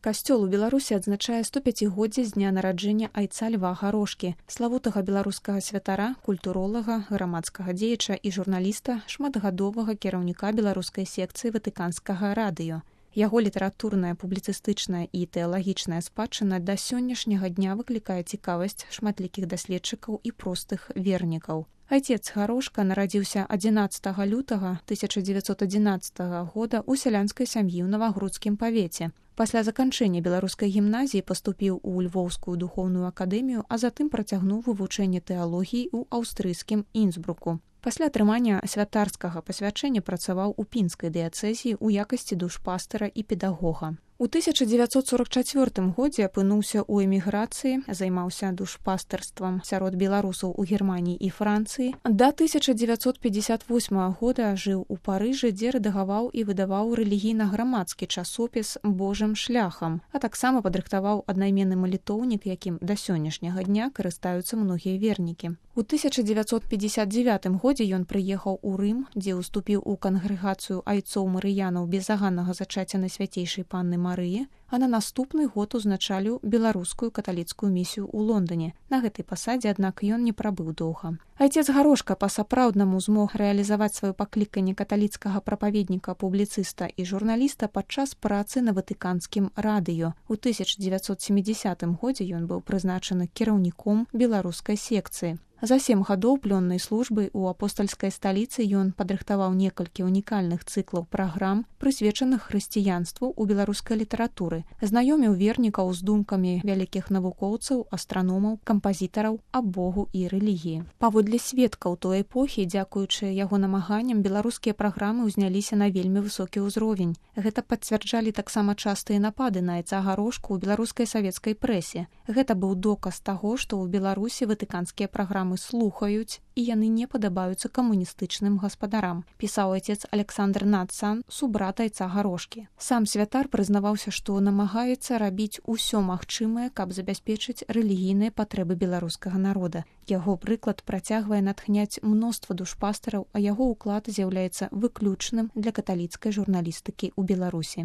Касцёл у Беларусі адзначае 105годдзе з дня нараджэння айца Льва Гарошкі, славутага беларускага святара, культуролага, грамадскага дзеяча і журналіста, шматгадовага кіраўніка беларускай секцыі Ватыканскага радыё. Яго літаратурная, публіцыстычная і тэалагічная спадчына да сённяшняга дня выклікае цікавасць шматлікіх даследчыкаў і простых вернікаў. Айцец Гарошка нарадзіўся 11 лютага 1911 года ў сялянскай сям'і ў Навагрудскім павеце. Пасля заканчэння беларускай гімназіі паступіў у Львоўскую духоўную акадэмію, а затым працягнуў вывучэнне тэалогіі ў аўстрыйскім Інсбруку. Пасля атрымання святарскага пасвячэння працаваў у пінскай дыяцэзіі ў якасці душпастара і педагога. У 1944 годзе апынуўся ў эміграцыі, займаўся душпастарствам сярод беларусаў у Германіі і Францыі. Да 1958 года жыў у Парыжы, дзе рэдагаваў і выдаваў рэлігійна-грамадскі часопіс «Божым шляхам», а таксама падрыхтаваў аднайменны малітоўнік, якім да сённяшняга дня карыстаюцца многія вернікі. У 1959 годзе ён прыехаў у Рым, дзе ўступіў у кангрэгацыю айцоў марыянаў безаганнага зачацця Найсвяцейшай Панны Марыі, а на наступны год узначаліў беларускую каталіцкую місію ў Лондоне. На гэтай пасадзе, аднак, ён не прабыў доўга. Айцец Гарошка па-сапраўднаму змог рэалізаваць сваё пакліканне каталіцкага прапаведніка, публіцыста і журналіста падчас працы на Ватыканскім радыё. У 1970 годзе ён быў прызначаны кіраўніком беларускай секцыі. За 7 гадоў плённай службы ў апостальскай сталіцы ён падрыхтаваў некалькі унікальных цыклаў праграм, прысвечаных хрысціянству ў беларускай літаратуры, знаёміў вернікаў з думкамі вялікіх навукоўцаў, астраномаў, кампазітараў аб Богу і рэлігіі. Паводле сведкаў той эпохі, дзякуючы яго намаганням, беларускія праграмы ўзняліся на вельмі высокі ўзровень. Гэта пацвярджалі таксама частыя напады на айца Гарошку ў беларускай савецкай прэсе. Гэта быў доказ таго, што ў Беларусі ватыканскія праграмы слухаюць, і яны не падабаюцца камуністычным гаспадарам, пісаў айцец Александр Надсан, субрат айца Гарошкі. Сам святар прызнаваўся, што намагаецца рабіць усё магчымае, каб забяспечыць рэлігійныя патрэбы беларускага народа. Яго прыклад працягвае натхняць мноства душпастараў, а яго ўклад з'яўляецца выключным для каталіцкай журналістыкі ў Беларусі.